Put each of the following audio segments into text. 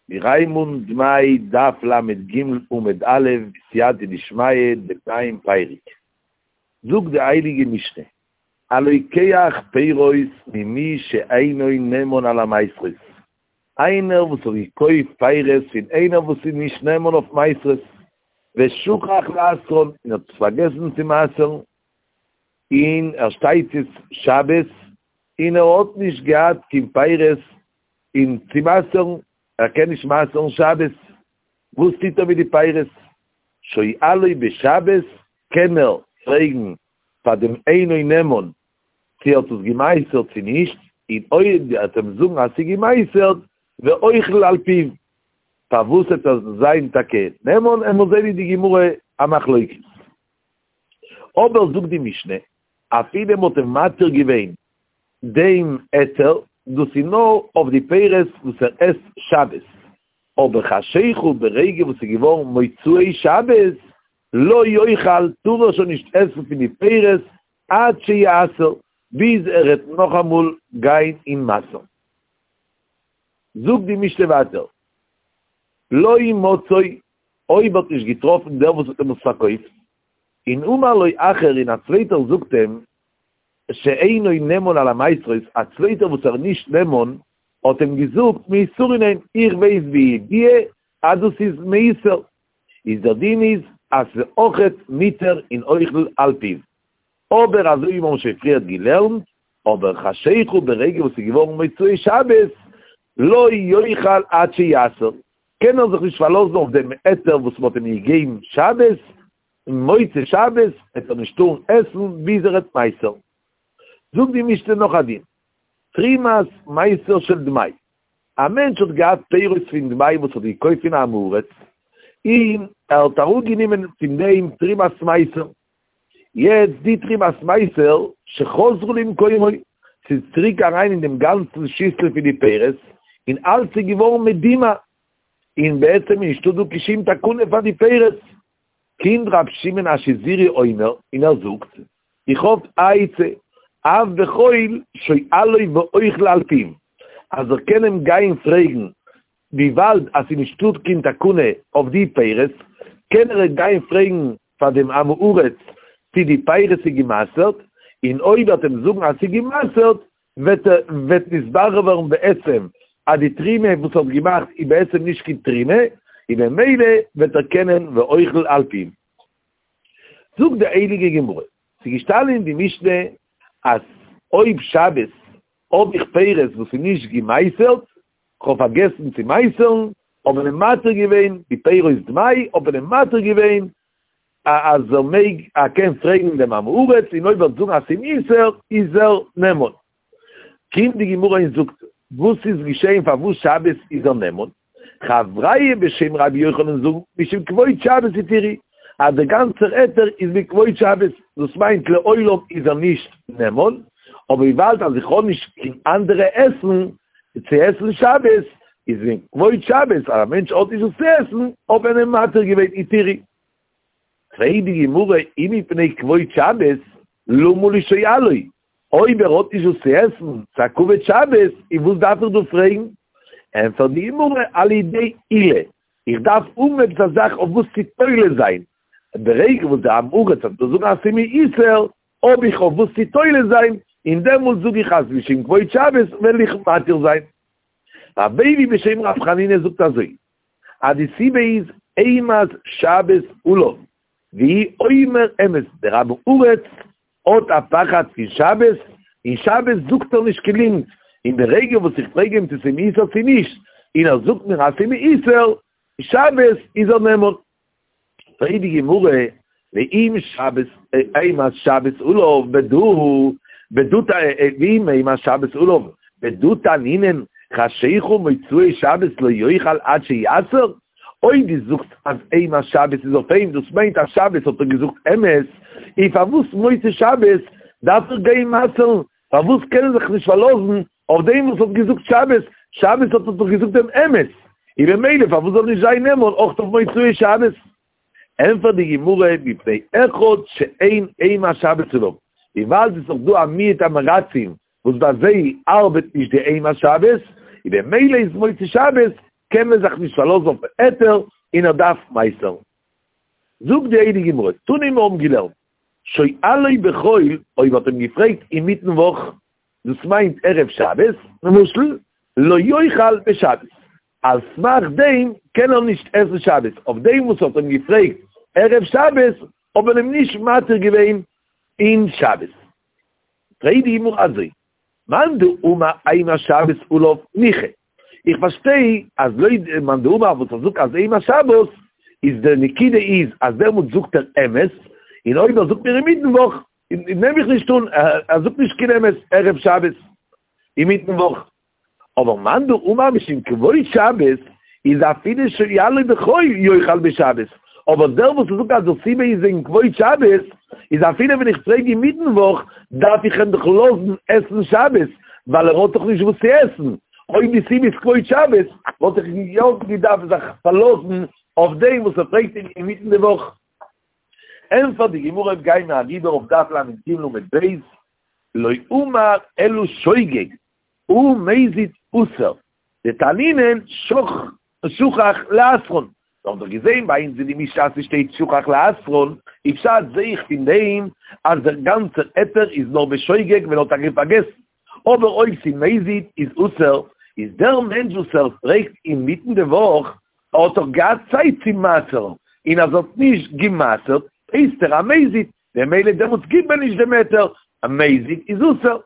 מיר הייבן אן דמאי דף ל"ג עמוד א' בסייעתא דשמיא דעם נייעם פרק. זאגט די הייליגע משנה, הלוקח פירות ממי שאינו נאמן על המעשרות, איינער וואס האט געקויפט פירות פון איינער וואס איז נישט נאמן אויף מעשרות, ושכח לעשרן, און האט עס פארגעסן צו מעשר'ן, און ער שטייט יעצט שבת, און ער האט נישט געהאט קיין פירות און צו מעשר'ן, ער קען נישט מעשר'ן שבת, וואס טוט ער מיט די פירות? שואלו בשבת, קען ער פרעגן פאר דעם אינו נאמן צו ער האט עס געמעשר'ט צו נישט, און אויב ער וועט אים זאגן אז ס'איז געמעשר'ט, ואוכל על פיו, פארוואס וועט ער זיין טאקע נאמן, עמיר זען אין די גמרא א מחלוקת. אבער זאגט די משנה, אפילו מ'האט אים מתיר געווען דעם היתר, דאס איז נאר אויף די פירות וואס ער עסט שבת, אבער חשיכה ברגע וואס איז געווארן מוצאי שבת, לא יאכל, טאר ער שוין נישט עסן פון די פירות עד שיעשר, ביז ער וועט נאכאמאל גיין און מעשר'ן. זאגט די משנה ווייטער, לא מצאו, אויב האט נישט געטראפן דער וואס האט אים עס פארקויפט, און אמר לו אחר און א צווייטער זאגט אים, שאינו נאמן על המעשרות, א צווייטער וואס ער איז נישט נאמן, האט אים געזאגט מעושרין הן, איך ווייס בידיעה אז דאס איז מעושר, איז דער דין איז אז ס'איז אויכעט מותר און אוכל על פיו. אבער אזוי ווי מיר האבן שוין פריערט געלערנט, אבער חשיכה ברגע וואס ס'איז געווארן מוצאי שבת, לא יאכל עד שיעשר, קען ער זיך נישט פארלאזן אויף דעם היתר וואס מ'האט אים געגעבן שבת, און מוצאי שבת וועט ער נישט טארן עסן ביז ער וועט מעשר'ן. זאגט די משנה נאך א דין, תרומת מעשר של דמאי, א מענטש האט געהאט פירות פון דמאי וואס האט געקויפט פון עם הארץ, און ער האט אראפגענומען פון דעם תרומת מעשר, יעצט די תרומת מעשר שחזרו למקומו, ס'איז צוריק אריין אין דעם גאנצן שיסל פון די פירות, און אלץ איז געווארן מדומע, און בעצם איז נישטא דא קיין שום תקנה פאר די פירות. קומט רב שמעון השזירי אומר, און ער זאגט, איך האב א עצה, אף בחול שואלו ואוכל על פיו, אז ער קען אים גיין פרעגן, וויבאלד אז ס'איז נישטא קיין תקנה אויף די פירות, קען ער גיין פרעגן פאר דעם עם הארץ צי די פירות איז גע'מעשר'ט, און אויב ער וועט אים זאגן אז ס'איז גע'מעשר'ט, וועט וועט נתברר ווערן בעצם אז די תרומה וואס ער האט געמאכט איז בעצם נישט קיין תרומה, און במילא וועט ער קענען ואוכל על פיו. זאגט די הייליגע גמרא, ס'איז געשטאנען אין די משנה אז אויב שבת האב איך פירות וואס איז נישט געמעשר'ט, כ'האב פארגעסן צו מעשר'ן, האט מען אים מתיר געווען די פירות דמאי, האט מען אים מתיר געווען אז ער מעג, ער קען פרעגן דעם עם הארץ, און אויב ער וועט זאגן אז ס'איז מעושר, איז ער נאמן. קומט די גמרא און זאגט, וואס איז געשען פארוואס שבת איז ער נאמן? חברייא בשם רבי יוחנן זאגן, משום כבוד שבת התירו, אז דער גאנצער היתר איז מכבוד שבת, דאס מיינט לעולם איז ער נישט נאמן, אבער וויבאלד אז איך האב נישט קיין אנדערע עסן צו עסן שבת, איז מכבוד שבת אז א מענטש האט נישט וואס צו עסן, האט מען אים מתיר געווען התירו. פרעגט די גמרא אי מפני כבוד שבת, למה לי שואלו, אויב ער האט נישט וואס צו עסן, ס'א כבוד שבת, און וואס דארף איך דא פרעגן? ענטפערט די גמרא על ידי עילה, איך דארף האבן עפעס א זאך אויף וואס צו תולה זיין, ברגע וואס דער עם הארץ וועט מיר זאגן אז ס'איז מעושר, האב איך אויף וואס צו תולה זיין, און דעמאלט זאג איך אז משום כבוד שבת וועל איך מתיר זיין. רבי אייבו בשם רב חנינא זאגט אזוי, אז די סיבה איז אימת שבת עליו, והוא אומר אמת, דער עם הארץ האט א פחד פון שבת, און שבת זאגט ער נישט קיין ליגנט, און ברגע וואס איך פרעג אים צו ס'איז מעושר צו נישט, און ער זאגט מיר אז ס'איז מעושר, שבת איז ער נאמן. פרעגט די גמרא, ואם שבת, אימת שבת עליו בדא, בדא, ואם אימת שבת עליו, בדא תנינן, חשיכה מוצאי שבת לא יאכל עד שיעשר, אויב דו זאגסט אז אימת שבת איז אויף אים, דאס מיינט אז שבת האט ער געזאגט אמת, און פארוואס מוצאי שבת דארף ער גיין מעשר'ן? פארוואס קען ער זיך נישט פארלאזן אויף דעם וואס האט געזאגט שבת? שבת האט ער דאך געזאגט דעם אמת, און במילא פארוואס זאל נישט זיין נאמן אויך אויף מוצאי שבת? ענטפערט די גמרא, מפני אחד שאין אימת שבת עליו, וויבאלד עס איז דאך דא א מיעוט עם הארצים וואס ביי זיי ארבעט נישט די אימת שבת, און במילא איז מוצאי שבת. קען מען זיך נישט פארלאזן אויפן היתר און ער דארף מעשר'ן. זאגט די הייליגע גמרא, תנא מיר האבן געלערנט, שואלו בחול, אויב האט אים געפרעגט אינמיטן וואך, דאס מיינט ערב שבת, למשל, לא יאכל בשבת, על סמך דעם קען ער נישט עסן שבת, אויף דעם וואס האט אים געפרעגט ערב שבת האט מען אים נישט מתיר געווען אין שבת. פרעגט די גמרא אזוי, מאן דאמר אימת שבת עליו ניחא, איך פארשטיי אז לויט מאן דאמר וואס ער זאגט אז אימת שבת איז די נקודה איז אז דעמאלטס זאגט ער אמת, און אויב ער זאגט מיר אינמיטן וואך נעם איך נישט אן ער זאגט נישט קיין אמת ערב שבת אינמיטן וואך. אבער מאן דאמר משום כבוד שבת איז אפילו שואלו בחול יאכל בשבת, אבער דער וואס זאגט אז די סיבה איז וועגן כבוד שבת, איז אפילו ווען איך פרעג אינמיטן וואך דארף איך אים דאך לאזן עסן שבת, ווייל ער האט דאך נישט וואס צו עסן, אויב די סיבה איז כבוד שבת וואלט איך יא געדארפט זיך פארלאזן אויף דעם וואס ער פרעגט אים אינמיטן די וואך. ענטפערט די גמרא אויב גייען מיר אריבער אויף דף לג עמוד ב', לא אמר אלא שוגג, הא מזיד אסור, דתנינן שכח לעשרן, מיר האבן דאך געזען ביי אונז אין די משנה אז ס'שטייט שכח לעשרן, איז פשט זעה איך פון דעם אז דער גאנצער היתר איז נאר בשוגג ווען ער האט טאקע פארגעסן, אבער אויב ס'איז מזיד איז אסור, איז דער מענטש וואס ער פרעגט אינמיטן די וואך האט דאך געהאט צייט צו מעשר'ן, און אז ער האט נישט גע'מעשר'ט הייסט ער א מזיד, ממילא דעמאלטס גיבט מען נישט דעם היתר, א מזיד איז אסור.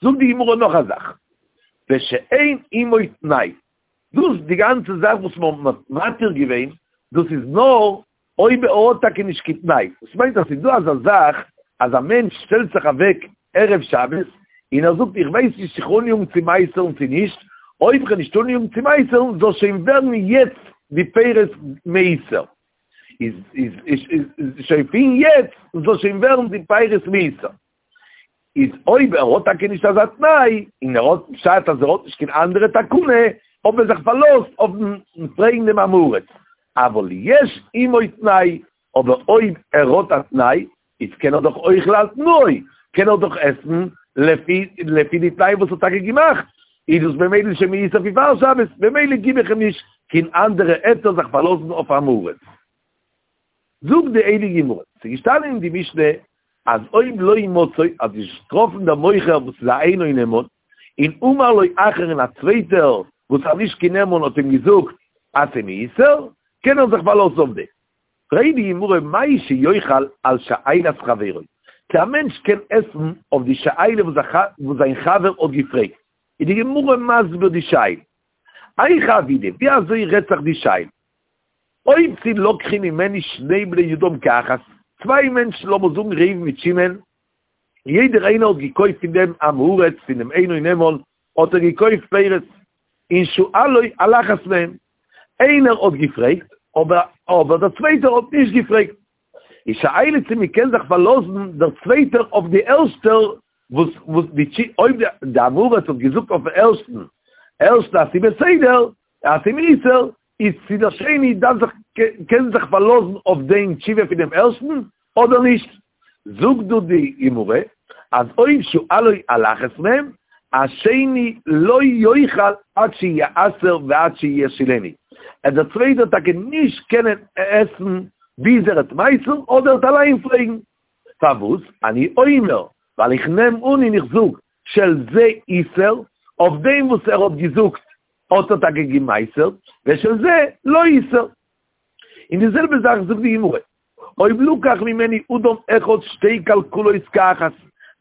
זאגט די גמרא נאך א זאך, ושאין עמו תנאי, דאס די גאנצע זאך וואס מען האט מתיר געווען, דאס איז נאר אויב ער האט טאקע נישט קיין תנאי, דאס מיינט אז ס'איז דא אזא זאך אז א מענטש שטעלט זיך אוועק ערב שבת און ער זאגט איך ווייס נישט צו כ'וועל אניאגן צו מעשר'ן צו נישט, אויב כ'וועל נישט אניאגן צו מעשר'ן זאל שוין ווערן יעצט די פירות מעושר, איז איז איז שוין פון יעצט זאל שוין ווערן די פירות מעושר. איז אויב ער האט טאקע נישט אזא תנאי, און ער האט פשט אז ער האט נישט קיין אנדערע תקנה, האט מען זיך פארלאזט אויפן פרעגן דעם עם הארץ. אבל יש עמו תנאי, אבער אויב ער האט א תנאי, איז קען ער דאך אוכל על תנאו, קען ער דאך עסן לפי לפי די תנאי וואס ער האט טאקע געמאכט, איז דאס במילא שוין מעושר פון פאר שבת, במילא גיב איך אים נישט קיין אנדערע היתר זיך פארלאזן אויף עם הארץ. זאגט די הייליגע גמרא, ס'איז געשטאנען אין די משנה אז אויב לא מצאו, האט נישט געטראפן דער מוכר וואס איז א אינו נאמן, און אמר לו אחר און א צווייטער וואס איז נישט קיין נאמן האט אים געזאגט אז ס'איז מעושר, קען ער זיך פארלאזן אויף דעם. פרעגט די גמרא מהו שיאכל על שאלת חברו, צו א מענטש קען עסן אויף די שאלה וואס זיין חבר האט געפרעגט, איז די גמרא מסביר די שאלה, היכי עבידא, ווי אזוי רעדט זיך די שאלה? אויב ס'איז לקחו ממנו שני בני אדם כאחת, צוויי מענטשן לאמיר זאגן ראובן מיט שמעון, יעדער איינער האט געקויפט פון דעם עם הארץ, פון דעם אינו נאמן, האט ער געקויפט פירות, און שאלו על אחת מהם, איינער האט געפרעגט, אבער אבער דער צווייטער האט נישט געפרעגט. איז שאלה צו מען קען זיך פארלאזן דער צווייטער אויף די ערשטער, וואס וואס די אויב די עם הארץ האט געזאגט אויפן ערשטן ערשטן אז ס'איז בסדר, אז ס'איז מעושר, איז צו דער שני דארף זיך קען זיך פארלאזן אויף דעם תשובה פון דעם ערשטן אדער נישט. זאגט דא די גמרא אז אויב שאלו על אחת מהם, השני לא יאכל עד שיעשר ועד שישאילנו, עט דער צווייטער טאקע נישט קענען עסן ביז ער וועט מעשר'ן אדער ער וועט אליין פרעגן. פארוואס? אני אומר, ווייל איך נעם אן און איך זאג, של זה איעשר, אויף דעם וואס ער האט געזאגט האט ער טאקע געמעשר'ט, ושל זה לא איעשר. און די זעלבע זאך זאגט די גמרא, אויב לקח ממנו אדם אחד שתי כלכלות כאחת,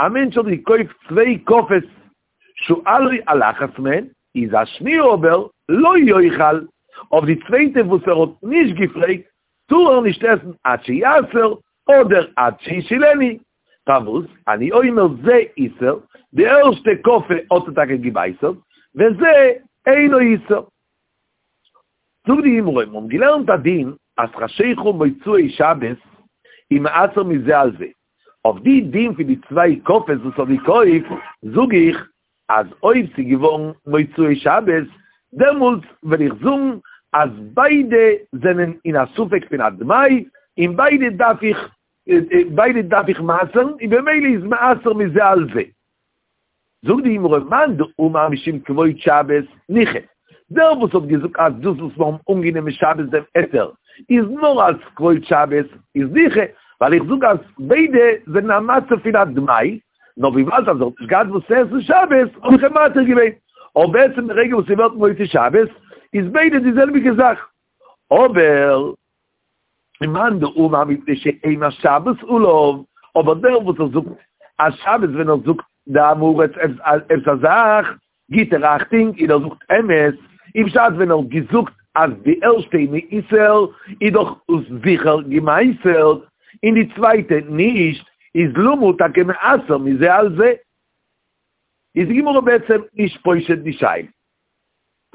א מענטש האט געקויפט צוויי קאפעס, שאלו על אחת מהן, איז השניה אבער לא יאכל, אויף די צווייטע וואס ער האט נישט געפרעגט, טאר ער נישט עסן עד שיעשר, אדער עד שישאילנו. פארוואס? אני אומר זה איעשר, די ערשטע קאפע האט ער טאקע געמעשר'ט, וזה אינו איעשר. זאגט די גמרא, מיר האבן געלערנט א דין אז חשיכה מוצאי שבת איז מעשר מזה על זה. אויף די דין פון די צוויי קאפעס וואס האט געקויפט, זאג איך אז אויב ס'איז געווארן מוצאי שבת, דעמאלטס וועל איך זאגן אז ביידע זענען אין א ספק פון א דמאי, און ביידע דארף איך ביידע דארף איך מעשר'ן, און במילא איז מעשר מזה על זה. זאגט די גמרא, מאן דאמר משום כבוד שבת, ניחא. דער וואס האט געזאגט אז דאס וואס מיר האבן אנגענומען שבת דעם היתר איז נאר אלס כבוד שבת איז ניחא, ווייל איך זאג אז ביידע זענען א מצב פון א דמאי, נאר וויבאלד אז ער האט נישט געהאט וואס צו עסן שבת האב איך אים מתיר געווען, אבער בעצם די רגע וואס ס'ווערט מוצאי שבת איז ביידע די זעלביגע זאך. אבער ומאן דאמר מפני שאימת שבת עליו, אבער דער וואס ער זאגט אז שבת ווען ער זאגט די עם הארץ עפעס א זאך גיט ער אכטונג און ער זאגט אמת, און בשעת ווען ער האט געזאגט אז די ערשטע איז מעושר איז דאך עס זיכער געמעשר'ט און די צווייטע נישט, איז למה טאקע מעשר מזה על זה? איז די גמרא בעצם נישט פושט די שאלה,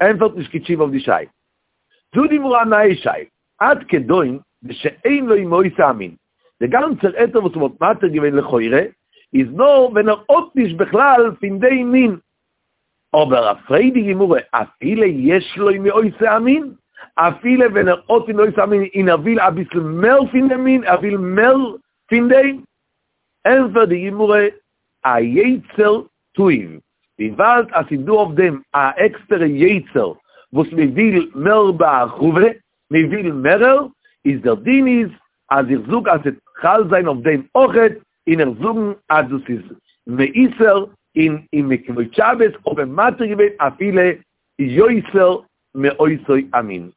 ענפערט נישט קיין תשובה אויף די שאלה. זאגט די גמרא א נייע שאלה, עד כדון דשאין לו מאותו המין, דער גאנצער היתר וואס מ'האט מתיר געווען לכאורה איז נאר ווען ער האט נישט בכלל פון דעם מין, אבער פרעגט די גמרא אפילו יש לו מאותו המין, אפילו ווען ער האט פון אותו המין און ער וויל אביסל מער פון דעם מין, ער וויל מער פון דעם, ענפערט די גמרא היצר תאיב, וויבאלד אז ס'איז דא אויף דעם א עקסטערע יצר וואס מען וויל מער בהרחבה, מען וויל מערער, איז דער דין איז אז איך זאג אז ס'וועט חל זיין אויף דעם אויכעט, און איך זאגן אז דאס איז מעושר און און מכבוד שבת האט מען מתיר געווען אפילו יותר מאותו המין.